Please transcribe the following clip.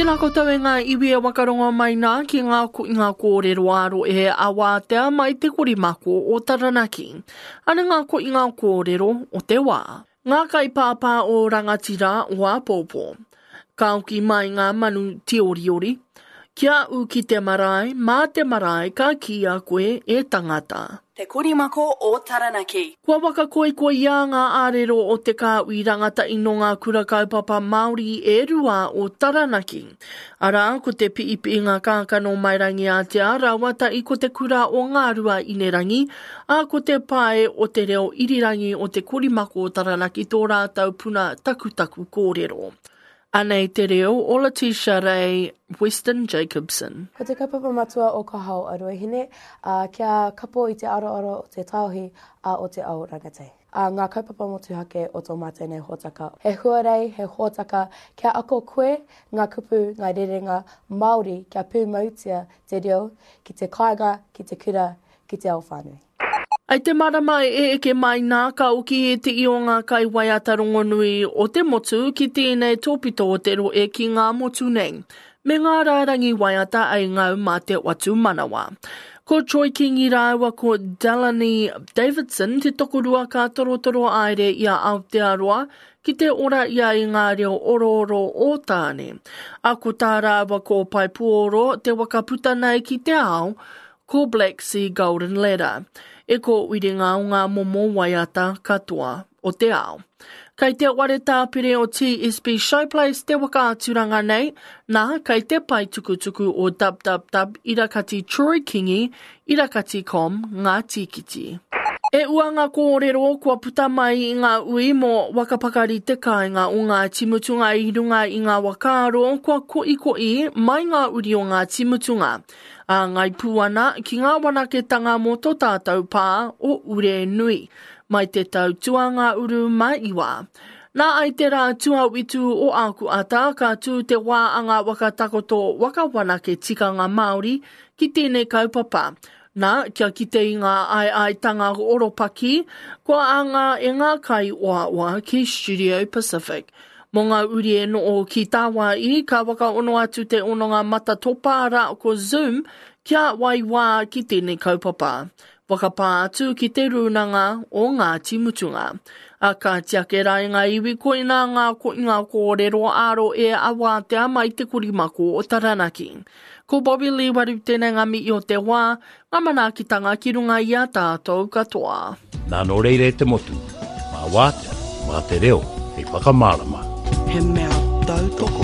Tēnā koutou e ngā iwi e wakarongo mai nā ki ngā koinga kōrero ā-rohe a Wātea mai te korimako o Taranaki. Ana ngā koinga kōrero o te wā. Ngā kaipāpā o Rangatira o āpōpō. Ka oki mai ngā manu tīoriori. Kia ū ki te marae, mā te marae ka kīia koe e tangata. Te Korimako o Taranaki. Kua whakakoikoiā ngā ārero o te kāhui rangatahi nō ngā kura kaupapa Māori e rua o Taranaki. Arā, ko te Piipiinga Kākano Mai Rangiātea rāua tahi ko te Kura o Ngā Rua Inerangi, ā, ko te Pae o te Reo Irirangi o Te Korimako o Taranaki tō rātou puna takutaku kōrero. Anei te reo o Letitia Rei Weston Jacobsen. Ko te kaupapa matua o Ka Hao a Ruahine, ā, kia kapo i te aroaro o te taohi, ā, o te ao rangatahi. Ā, ngā kaupapa motuhake o tō mātou nei hōtaka. He huarei, he hōtaka, kia ako koe ngā kupu, ngā rerenga Māori kia pūmautia te reo ki te kāinga, ki te kura, ki te ao whānui. I te marama e eke mai nā ka oki ētehi o ngā kaiwaiata rongonui o te motu ki tēnei tōpito o te rohe ki ngā motu nei, me ngā rārangi waiata ei ngau mā te whatumanawa. Ko Troy Kingi rāua ko Delaney Davidson te tokorua ka torotoro aere i a Aotearoa ki te ora ia i ngā reo orooro o Tāne. A ko tā rāua ko Paepuoro te waka puta nei ki te ao, Ko Black Sea Golden Ladder e kōwiringa o ngā momo waiata katoa o te ao. Kei te ware tāpere o TSB Showplace te whakaaturanga nei, nā, kei te pae tukutuku o www irakati Troy Kingi irakati com ngā tīkiti. E ua ngā kōrero kua puta mai i ngā ui mō Wakapakari te kāinga o Ngāti Mutunga i runga i ngā whakaaro kua koʻikoʻi mai ngā uri o Ngāti Mutunga. Āngai pū ana ki ngā wanaketanga mō tō tātou pā o Urenui, mai te tau tuangāuru mā iwa. Nā ai te rā tuawitu o āku ata ka tū te wā a ngā waka takoto waka wanake tikanga Māori ki tēnei kaupapa. Nā, kia kite i ngā aeaetanga oropaki kua anga e ngā kaioaoa ki Studio Pacific. Mō ngā uri e noo ki tāwāi, ka whakaono atu te hononga matatopa rā ko Zoom kia wai wā ki tēnei kaupapa. Whakapā atu ki Te Rūnanga o Ngāti Mutunga. A kāti ake rā i ngā iwi koinā ngā koinga kōrero ā-rohe a wātea mai te korimako o Taranaki. Ko Bobby Lee Waru tēnei ngā mihi o te wā, ngā manaakitanga ki runga i a tātou katoa. Nā nō reira e te motu, mā Wātea, mā te reo hei whakamārama. He mea tautoko.